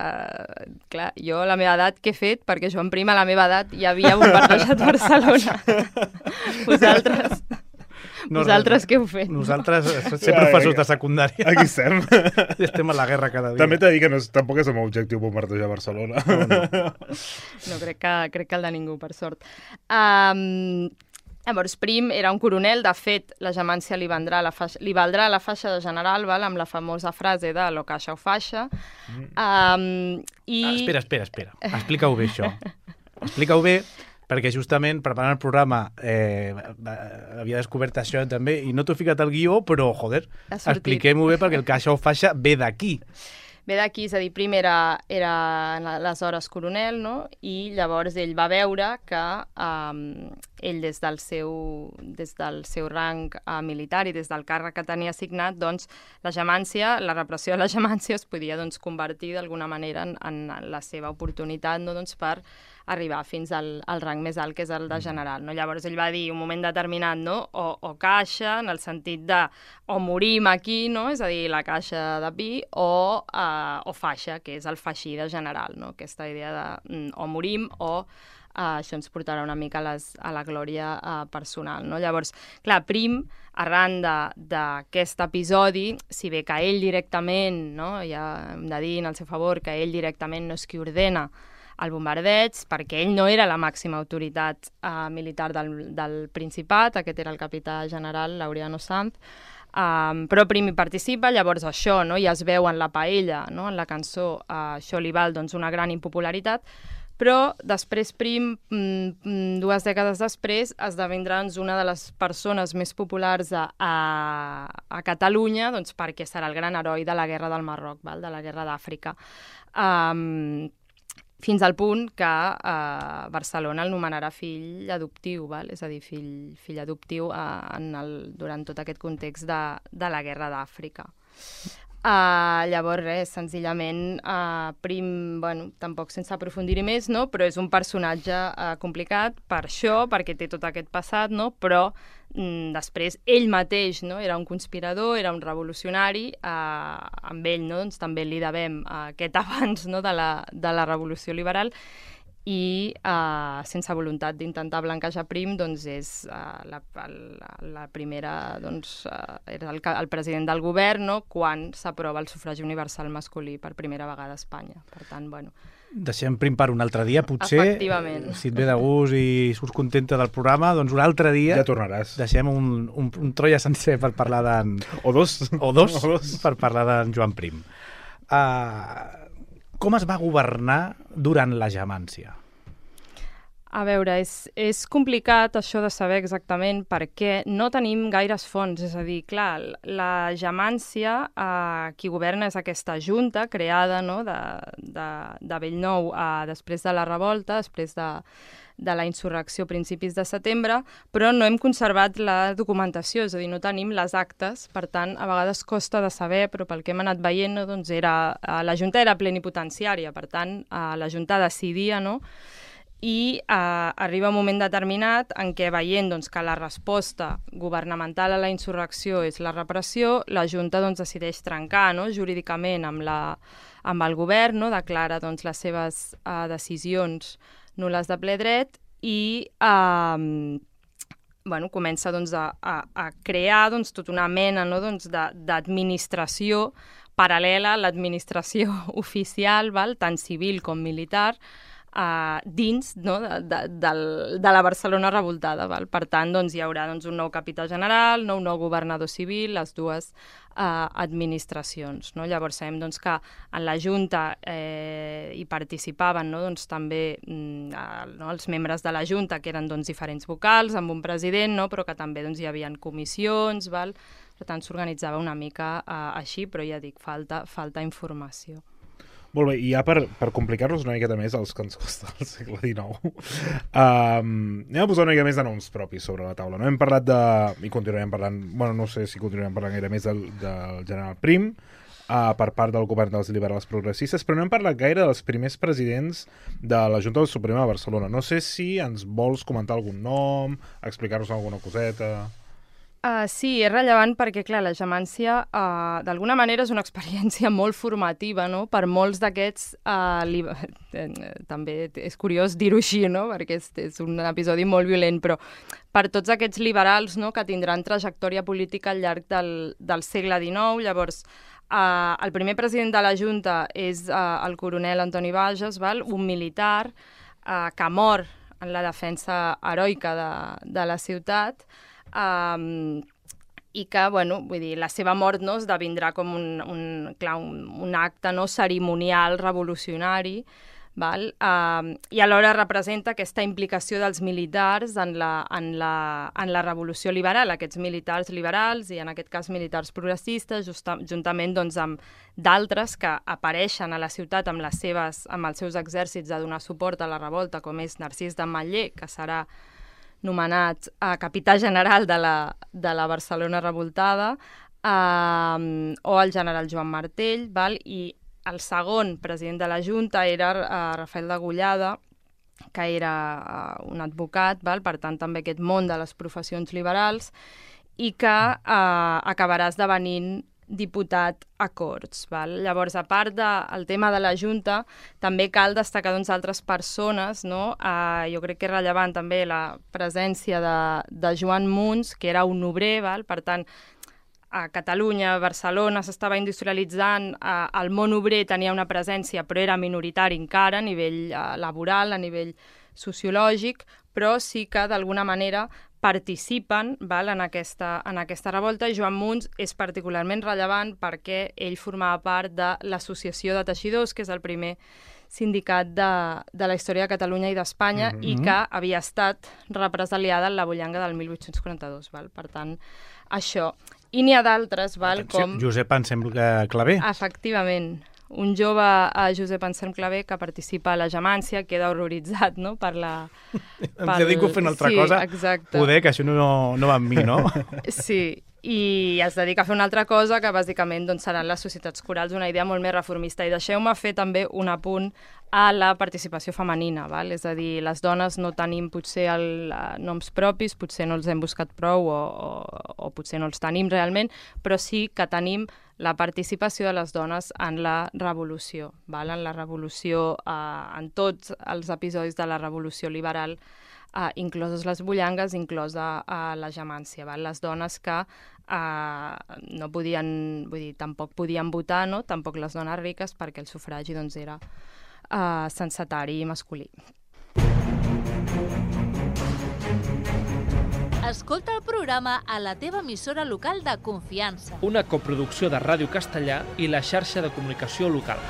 clar, jo a la meva edat què he fet? Perquè Joan Prim a la meva edat ja havia bombardejat Barcelona. Vosaltres... No, Vosaltres què heu fet? Nosaltres, ser professors de secundària. Aquí estem. Estem a la guerra cada dia. També t'he de dir que no és, tampoc és el meu objectiu bombardejar Barcelona. No, no. no crec, que, crec que el de ningú, per sort. Um, llavors, Prim era un coronel. De fet, la gemància li, vendrà la faixa, li valdrà la faixa de general, val? Amb la famosa frase de lo caixa o faixa. Um, i... ah, espera, espera, espera. Explica-ho bé, això. Explica-ho bé, perquè justament preparant el programa eh, havia descobert això també i no t'ho he ficat al guió, però, joder, expliquem-ho bé perquè el caixa o faixa ve d'aquí. Ve d'aquí, és a dir, Prim era, era aleshores coronel, no? I llavors ell va veure que um, ell des del seu, des del seu rang uh, militar i des del càrrec que tenia assignat, doncs la gemància, la repressió de la gemància es podia doncs, convertir d'alguna manera en, en la seva oportunitat, no? Doncs per arribar fins al, al rang més alt, que és el de general. No? Llavors ell va dir un moment determinat, no? o, o caixa, en el sentit de o morim aquí, no? És a dir, la caixa de pi, o, uh, o faixa, que és el faixí de general, no? Aquesta idea de mm, o morim o uh, això ens portarà una mica a, les, a la glòria uh, personal. No? Llavors, clar, Prim, arran d'aquest episodi, si bé que ell directament, no? Ja hem de dir en el seu favor que ell directament no és qui ordena el bombardeig, perquè ell no era la màxima autoritat uh, militar del, del Principat, aquest era el capità general Laureano Sanz, um, però Prim hi participa, llavors això no? Ja es veu en la paella, no? En la cançó, uh, això li val doncs, una gran impopularitat, Però després Prim, dues dècades després, esdevindrà doncs, una de les persones més populars a, a, a Catalunya, doncs, perquè serà el gran heroi de la Guerra del Marroc, val? De la Guerra d'Àfrica. Um, fins al punt que uh, Barcelona el nomenarà fill adoptiu, val? És a dir, fill, fill adoptiu uh, en el, durant tot aquest context de, de la Guerra d'Àfrica. Uh, llavors, res, senzillament, uh, Prim, bueno, tampoc sense aprofundir-hi més, no? Però és un personatge uh, complicat per això, perquè té tot aquest passat, no? Però mm, després ell mateix, no? Era un conspirador, era un revolucionari, uh, amb ell, no? Doncs també li devem uh, aquest abans, no? de, la, de la revolució liberal, i uh, sense voluntat d'intentar blanquejar Prim, doncs és uh, la, la, la primera, doncs, uh, era el, el president del govern, no? Quan s'aprova el sufragi universal masculí per primera vegada a Espanya. Per tant, bueno... Deixem Prim per un altre dia, potser. Efectivament. Si et ve de gust i surts contenta del programa, doncs un altre dia... Ja tornaràs. Deixem un, un, un Troia sencer per parlar d'en... O dos. O dos, o dos. Per parlar d'en Joan Prim. Uh, com es va governar durant la Gemància? A veure, és, és complicat això de saber exactament perquè no tenim gaires fonts. És a dir, clar, la Gemància, eh, qui governa és aquesta junta creada, no?, de, de, de Bellnou eh, després de la revolta, després de, de la insurrecció a principis de setembre, però no hem conservat la documentació, és a dir, no tenim les actes, per tant, a vegades costa de saber, però pel que hem anat veient, no, doncs era, eh, la junta era plenipotenciària, per tant, eh, la junta decidia, no?, i eh, arriba un moment determinat en què, veient doncs, que la resposta governamental a la insurrecció és la repressió, la Junta doncs, decideix trencar, no?, jurídicament amb, la, amb el govern, no?, declara doncs, les seves eh, decisions nul·les de ple dret i eh, bueno, comença doncs, a, a, a crear doncs, tota una mena, no?, doncs, d'administració paral·lela a l'administració oficial, val? Tant civil com militar, Uh, dins, no?, de, de, de, de la Barcelona revoltada. Val? Per tant, doncs, hi haurà doncs, un nou capità general, no? Un nou governador civil, les dues uh, administracions. No? Llavors sabem doncs, que en la Junta eh, hi participaven, no? doncs, també mm, uh, no? els membres de la Junta, que eren doncs, diferents vocals, amb un president, no? però que també doncs, hi havia comissions, val? Per tant, s'organitzava una mica uh, així, però ja dic, falta, falta informació. Molt bé, i ja per, per complicar-nos una miqueta més els que ens costa el segle dinou, um, anem a posar una mica més de noms propis sobre la taula. No hem parlat de... i continuarem parlant... bueno, no sé si continuarem parlant gaire més del, del general Prim, uh, per part del govern dels liberals progressistes, però no hem parlat gaire dels primers presidents de la Junta Suprema de Barcelona. No sé si ens vols comentar algun nom, explicar-nos alguna coseta... Uh, sí, és rellevant perquè, clar, la Gemància uh, d'alguna manera és una experiència molt formativa, no?, per molts d'aquests, uh, li... eh, també és curiós dir-ho així, no?, perquè és, és un episodi molt violent, però per tots aquests liberals, no?, que tindran trajectòria política al llarg del, del segle dinou. Llavors, uh, el primer president de la Junta és uh, el coronel Antoni Bages, val? Un militar uh, que mor en la defensa heroica de, de la ciutat, Um, i que, bueno, vull dir, la seva mort no, esdevindrà com un, un, clar, un, un acte no, cerimonial, revolucionari, val? Um, i alhora representa aquesta implicació dels militars en la, en, la, en la revolució liberal, aquests militars liberals i en aquest cas militars progressistes, justa, juntament doncs, amb d'altres que apareixen a la ciutat amb, les seves, amb els seus exèrcits a donar suport a la revolta, com és Narcís d'Ametller, que serà nomenat uh, capità general de la, de la Barcelona revoltada, uh, o el general Joan Martell, val? I el segon president de la Junta era uh, Rafael de Gollada, que era uh, un advocat, val? Per tant també aquest món de les professions liberals, i que uh, acabarà esdevenint diputat a Corts. Val? Llavors, a part del tema de la Junta, també cal destacar doncs, altres persones. No? Uh, jo crec que és rellevant també la presència de, de Joan Muns, que era un obrer, val? Per tant, a Catalunya, a Barcelona s'estava industrialitzant, uh, el món obrer tenia una presència, però era minoritari encara a nivell uh, laboral, a nivell sociològic, però sí que d'alguna manera participen, val, en, aquesta, en aquesta revolta, i Joan Muns és particularment rellevant perquè ell formava part de l'Associació de Teixidors, que és el primer sindicat de, de la història de Catalunya i d'Espanya mm-hmm. i que havia estat represaliada en la Bullanga del mil vuit-cents quaranta-dos. Val? Per tant, això. I n'hi ha d'altres, val, Atenció, com... Josep Anselm Clavé. Efectivament. Un jove, a Josep Anselm Clavé, que participa a la Gemància, queda horroritzat, no?, per la... Em pel... dedico a fer una altra sí, cosa. Exacte. Poder, que això no, no va amb mi, no? Sí, i es dedica a fer una altra cosa que bàsicament doncs, seran les societats corals, una idea molt més reformista. I deixeu-me fer també un apunt a la participació femenina, val? És a dir, les dones no tenim potser el, uh, noms propis, potser no els hem buscat prou o, o, o potser no els tenim realment, però sí que tenim la participació de les dones en la revolució, val? En la revolució, uh, en tots els episodis de la revolució liberal, uh, incloses les bullangues, inclosa uh, la Gemància, val? Les dones que uh, no podien, vull dir, tampoc podien votar, no? Tampoc les dones riques, perquè el sufragi doncs, era uh, censatari i masculí. Escolta el programa a la teva emissora local de confiança. Una coproducció de Ràdio Castellà i la xarxa de comunicació local.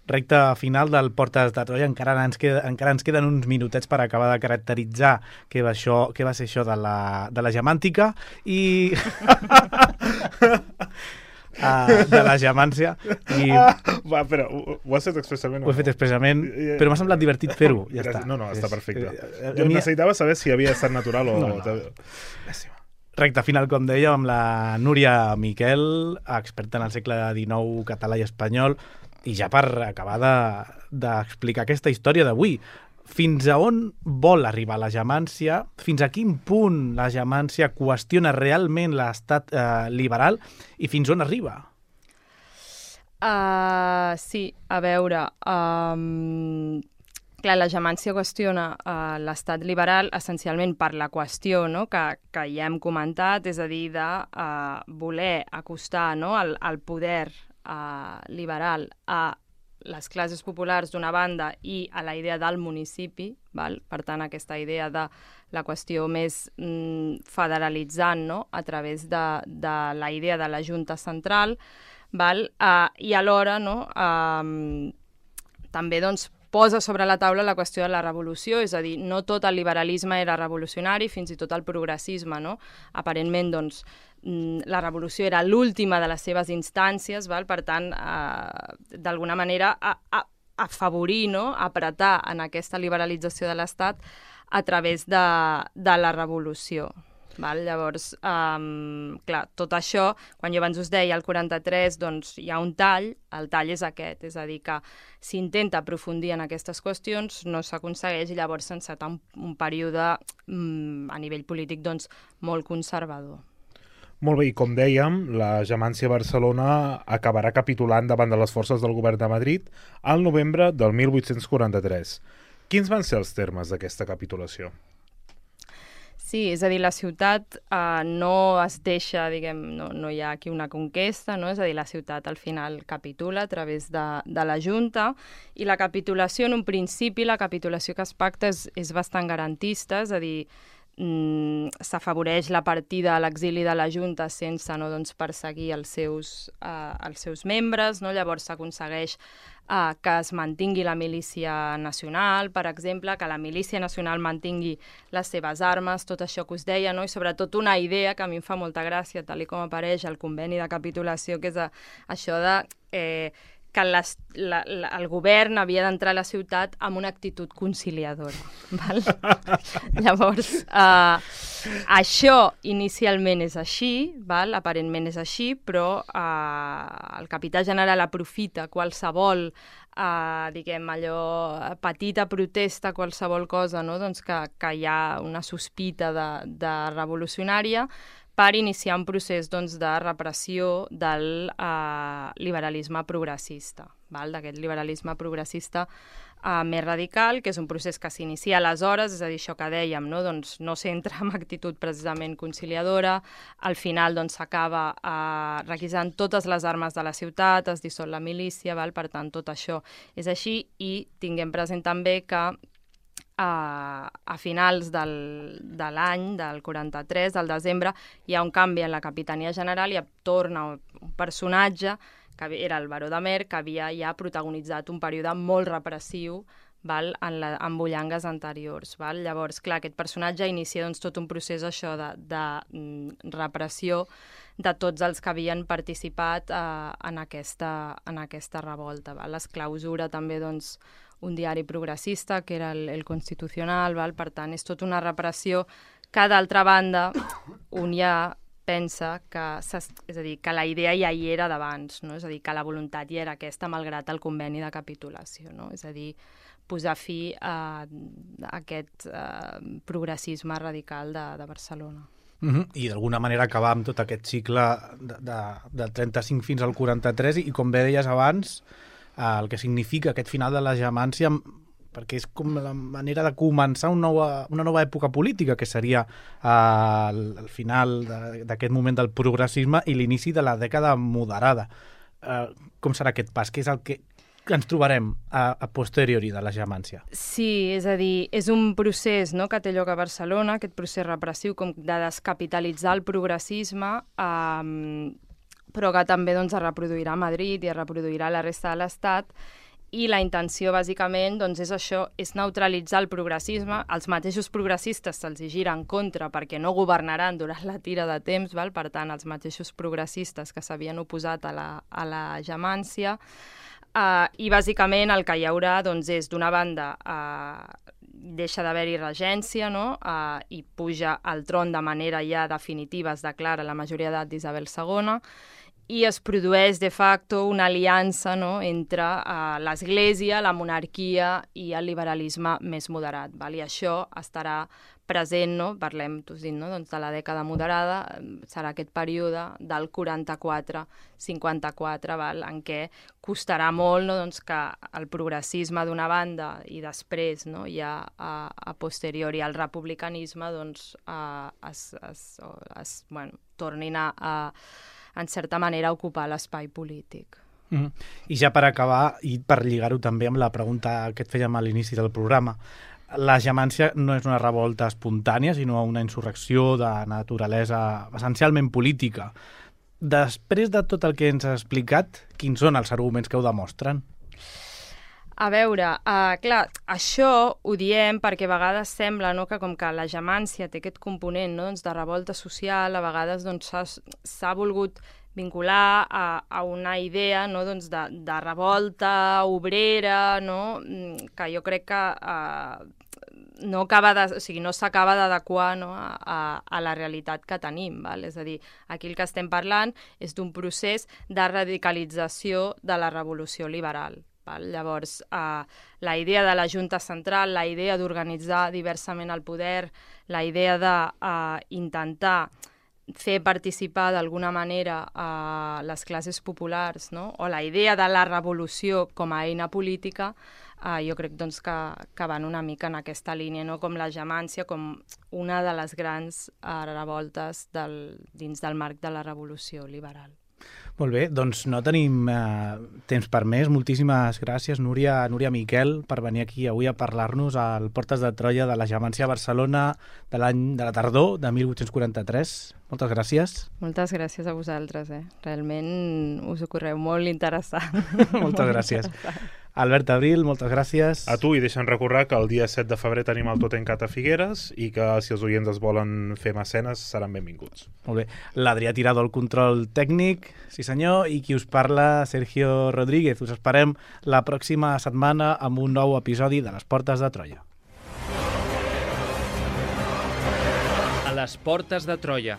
Recte final del Portes de Troia, encara ens, queda, encara ens queden uns minutets per acabar de caracteritzar què va, això, què va ser això de la, de la gemàntica i... Uh, de la gemància i... ah, va, però ho, ho has fet expressament ho he fet expressament, però m'ha semblat divertit fer-ho, ja està. No, no, està perfecte. És... Jo necessitava saber si havia estat natural o... No, no. Recte final, com dèiem, amb la Núria Miquel, experta en el segle dinou català i espanyol, i ja per acabar d'explicar de, aquesta història d'avui, fins a on vol arribar la gemància, fins a quin punt la gemància qüestiona realment l'estat eh, liberal i fins on arriba? Uh, sí, a veure... Um, clar, la gemància qüestiona uh, l'estat liberal essencialment per la qüestió, no?, que, que ja hem comentat, és a dir, de uh, voler acostar, no?, el, el poder uh, liberal a les classes populars d'una banda i a la idea del municipi, val? Per tant, aquesta idea de la qüestió més mm, federalitzant, no?, a través de, de la idea de la Junta Central, val? Uh, i alhora, no?, uh, també doncs, posa sobre la taula la qüestió de la revolució, és a dir, no tot el liberalisme era revolucionari, fins i tot el progressisme, no? Aparentment, doncs, la revolució era l'última de les seves instàncies, val? Per tant, eh, d'alguna manera, a, a, afavorir, no?, apretar en aquesta liberalització de l'Estat a través de, de la revolució. Val? Llavors, um, clar, tot això, quan jo abans us deia el quaranta-tres, doncs hi ha un tall, el tall és aquest, és a dir, que s'intenta aprofundir en aquestes qüestions, no s'aconsegueix i llavors s'enceta un, un període um, a nivell polític doncs, molt conservador. Molt bé, i com dèiem, la Gemància Barcelona acabarà capitulant davant de les forces del govern de Madrid al novembre del mil vuit-cents quaranta-tres. Quins van ser els termes d'aquesta capitulació? Sí, és a dir, la ciutat eh, no es deixa, diguem, no, no hi ha aquí una conquesta, no? És a dir, la ciutat al final capitula a través de, de la Junta i la capitulació, en un principi, la capitulació que es pacta és, és bastant garantista, és a dir, mm, s'afavoreix la partida a l'exili de la Junta sense no, doncs, perseguir els seus, eh, els seus membres, no? Llavors s'aconsegueix Uh, que es mantingui la milícia nacional, per exemple, que la milícia nacional mantingui les seves armes, tot això que us deia, no? I sobretot una idea que a mi em fa molta gràcia, tal com apareix al conveni de capitulació, que és a, això de eh, que les, la, la, el govern havia d'entrar a la ciutat amb una actitud conciliadora. Val? Llavors, uh, això inicialment és així, val? Aparentment és així, però uh, el capità general aprofita qualsevol uh, diguem allò, petita protesta, qualsevol cosa, no? Doncs que, que hi ha una sospita de, de revolucionària, per iniciar un procés doncs, de repressió del eh, liberalisme progressista, d'aquest liberalisme progressista eh, més radical, que és un procés que s'inicia aleshores, és a dir, això que dèiem, no, doncs, no s'entra amb actitud precisament conciliadora, al final doncs, s'acaba eh, requisant totes les armes de la ciutat, es dissol la milícia, val? Per tant, tot això és així, i tinguem present també que a, a finals del, de l'any, del quaranta-tres, del desembre, hi ha un canvi en la Capitania General i torna un personatge, que era el baró de Mer, que havia ja protagonitzat un període molt repressiu, val, en, la, en bullangues anteriors. Val? Llavors, clar, aquest personatge inicia doncs, tot un procés això de, de mm, repressió de tots els que havien participat eh, en, aquesta, en aquesta revolta. Val? Es clausura també doncs, un diari progressista, que era el, el Constitucional, val? Per tant, és tota una repressió que, d'altra banda, un ja pensa que, és a dir, que la idea ja hi era d'abans, no? És a dir, que la voluntat ja era aquesta, malgrat el conveni de capitulació, no? És a dir, posar fi a, a aquest a, progressisme radical de, de Barcelona. Uh-huh. I d'alguna manera acabar amb tot aquest cicle de, de, de trenta-cinc fins al quaranta-tres i, com bé deies abans, eh, el que significa aquest final de la gemància, perquè és com la manera de començar una nova, una nova època política, que seria eh, el, el final d'aquest moment del progressisme i l'inici de la dècada moderada. Eh, com serà aquest pas? Què és el que que ens trobarem a, a posteriori de la gemància? Sí, és a dir, és un procés, no?, que té lloc a Barcelona, aquest procés repressiu com de descapitalitzar el progressisme, um, però que també doncs, es reproduirà a Madrid i es reproduirà a la resta de l'Estat, i la intenció, bàsicament, doncs, és això, és neutralitzar el progressisme. Els mateixos progressistes se'ls gira en contra perquè no governaran durant la tira de temps, val? Per tant, els mateixos progressistes que s'havien oposat a la, a la gemància. Uh, I, bàsicament, el que hi haurà doncs, és, d'una banda, uh, deixa d'haver-hi regència, no? uh, i puja al tron de manera ja definitiva, es declara la majoria d'edat d'Isabel segona, i es produeix, de facto, una aliança, no?, entre uh, l'Església, la monarquia i el liberalisme més moderat. Val? I això estarà present, no? Parlem, t'ho dit, no? Doncs de la dècada moderada, serà aquest període del quaranta-quatre cinquanta-quatre, val? En què costarà molt, no? Doncs que el progressisme d'una banda i després, no? Ja a, a posteriori al republicanisme doncs, a, es, es, es, bueno, tornin a, a en certa manera, ocupar l'espai polític. Mm. I ja per acabar, i per lligar-ho també amb la pregunta que et fèiem a l'inici del programa, la gemància no és una revolta espontània, sinó una insurrecció de naturalesa essencialment política. Després de tot el que ens has explicat, quins són els arguments que ho demostren? A veure, uh, clar, això ho diem perquè a vegades sembla, no?, que com que la gemància té aquest component, no?, doncs de revolta social, a vegades doncs, s'ha volgut vincular a, a una idea, no?, doncs de, de revolta obrera, no?, que jo crec que uh, no acaba de, o sigui, no s'acaba d'adequar, no?, a, a la realitat que tenim. Val? És a dir, aquí el que estem parlant és d'un procés de radicalització de la revolució liberal. Llavors, eh, la idea de la Junta Central, la idea d'organitzar diversament el poder, la idea d'intentar eh, fer participar d'alguna manera a les classes populars, no? O la idea de la revolució com a eina política, eh, jo crec doncs, que, que van una mica en aquesta línia, no? Com la gemància, com una de les grans eh, revoltes del, dins del marc de la revolució liberal. Molt bé, doncs no tenim eh, temps per més. Moltíssimes gràcies, Núria, Núria Miquel, per venir aquí avui a parlar-nos al Portes de Troia de la gemància a Barcelona de l'any de la tardor de mil vuit-cents quaranta-tres. Moltes gràcies. Moltes gràcies a vosaltres, eh? Realment us ho correu molt interessant. Moltes gràcies. Albert Abril, moltes gràcies. A tu, i deixa'm recordar que el dia set de febrer tenim el Tot en Cat a Figueres i que si els oients es volen fer mecenes seran benvinguts. Molt bé. L'Adrià Tirado, el control tècnic, sí senyor, i qui us parla, Sergio Rodríguez. Us esperem la pròxima setmana amb un nou episodi de Les Portes de Troia. A les Portes de Troia,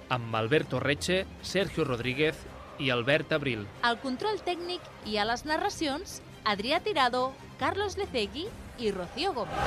amb Alberto Reche, Sergio Rodríguez i Albert Abril. Al control tècnic i a les narracions, Adrià Tirado, Carlos Lecegui i Rocío Gómez.